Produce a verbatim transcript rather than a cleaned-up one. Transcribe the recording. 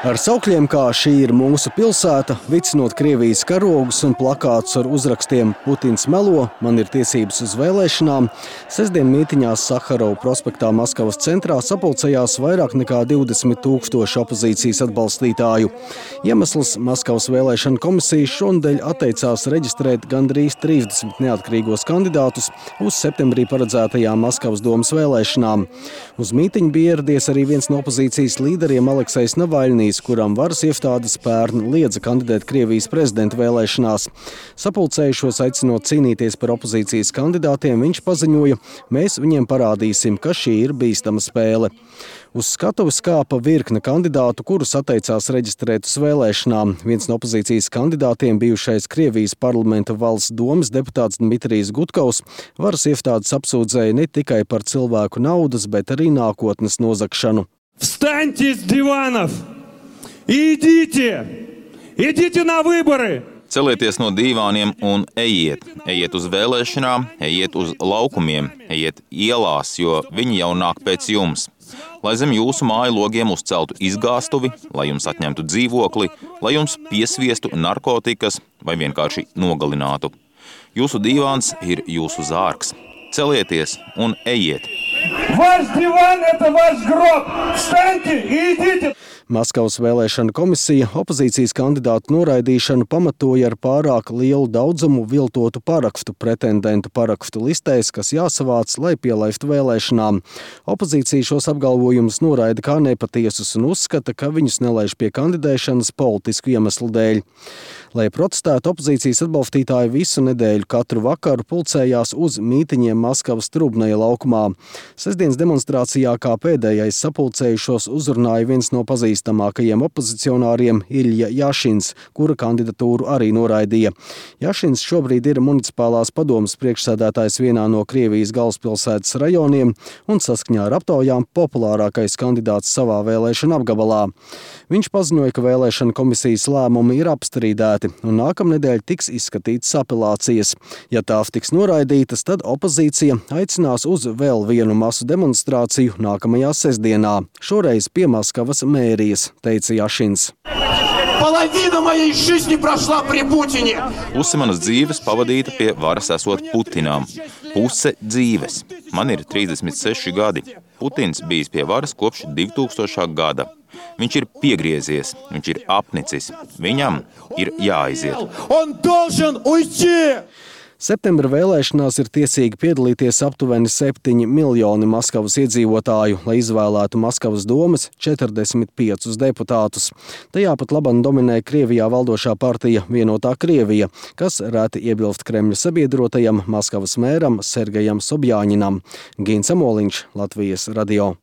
Ar saukļiem kā "Šī ir mūsu pilsēta", vicinot Krievijas karogus un plakātus ar uzrakstiem "Putins melo, man ir tiesības uz vēlēšanām", sestdien mītiņās Saharova prospektā Maskavas centrā sapulcējās vairāk nekā divdesmit tūkstoši opozīcijas atbalstītāju. Iemesls - Maskavas vēlēšana komisija šonedēļ atteicās reģistrēt gandrīz trīsdesmit neatkarīgos kandidātus uz septembrī paredzētajām Maskavas domas vēlēšanām. Uz mītiņu bija ieradies arī viens no opozīcijas līderiem Aleksejs Navaļnijs, kuram varas iestādes pērn liedza kandidēt Krievijas prezidenta vēlēšanās. Sapulcējušos aicinot cīnīties par opozīcijas kandidātiem, viņš paziņoja: "Mēs viņiem parādīsim, ka šī ir bīstama spēle." Uz skatuves kāpa virkne kandidātu, kurus atteicās reģistrēt uz vēlēšanām. Viens no opozīcijas kandidātiem, bijušais Krievijas parlamenta valsts domas deputāts Dmitrijs Gutkovs, varas iestādes apsūdzēja ne tikai par cilvēku naudas, bet arī nākotnes nozagšanu. Встаньте с диванов! Идите! Идите на выборы! Celieties no dīvāniem un ejiet. Ejiet uz vēlēšanām, ejiet uz laukumiem, ejiet ielās, jo viņi jau nāk pēc jums. Lai zem jūsu māju logiem uzceltu izgāstuvi, lai jums atņemtu dzīvokli, lai jums piesviestu narkotikas vai vienkārši nogalinātu. Jūsu dīvāns ir jūsu zārks. Celieties un ejiet! Ваш диван – это ваш гроб! Встаньте и идите! Maskavas vēlēšana komisija opozīcijas kandidātu noraidīšanu pamatoja ar pārāk lielu daudzumu viltotu parakstu pretendentu parakstu listēs, kas jāsavāc, lai pielaistu vēlēšanām. Opozīcija šos apgalvojumus noraida kā nepatiesus un uzskata, ka viņus nelaiž pie kandidēšanas politisku iemeslu dēļ. Lai protestētu, opozīcijas atbalstītāji visu nedēļu katru vakaru pulcējās uz mītiņiem Maskavas Trubnaja laukumā. Sestdienas demonstrācijā kā pēdējais sapulcējušos uzrunāja viens no pazīstamākajiem opozicionāriem Ilja Jašins, kura kandidatūru arī noraidīja. Jašins šobrīd ir municipālās padomes priekšsēdētājs vienā no Krievijas galvaspilsētas rajoniem un saskaņā ar aptaujām populārākais kandidāts savā vēlēšana apgabalā. Viņš paziņoja, ka vēlēšana komisijas lēmumi ir apstrīdēti un nākamnedēļ tiks izskatītas apelācijas. Ja tās tiks noraidītas, tad opozīcija aicinās uz vēl vienu masu demonstrāciju nākamajā sestdienā, šoreiz pie Maskavas mērijas, teica Jašins. Puse manas dzīves pavadīta pie varas esot Putinām. Puse dzīves. Man ir trīsdesmit seši gadi. Putins bijis pie varas kopš divtūkstošā gada. Viņš ir piegriezies, viņš ir apnicis. Viņam ir jāaiziet. Septembra vēlēšanās ir tiesīgi piedalīties aptuveni septiņi miljoni Maskavas iedzīvotāju, lai izvēlētu Maskavas domas četrdesmit piecus deputātus. Tajā pat labam dominē Krievijā valdošā partija Vienotā Krievija, kas reti iebilst Kremļa sabiedrotajam Maskavas mēram Sergejam Sobjaņinam. Gins Amoliņš, Latvijas radio.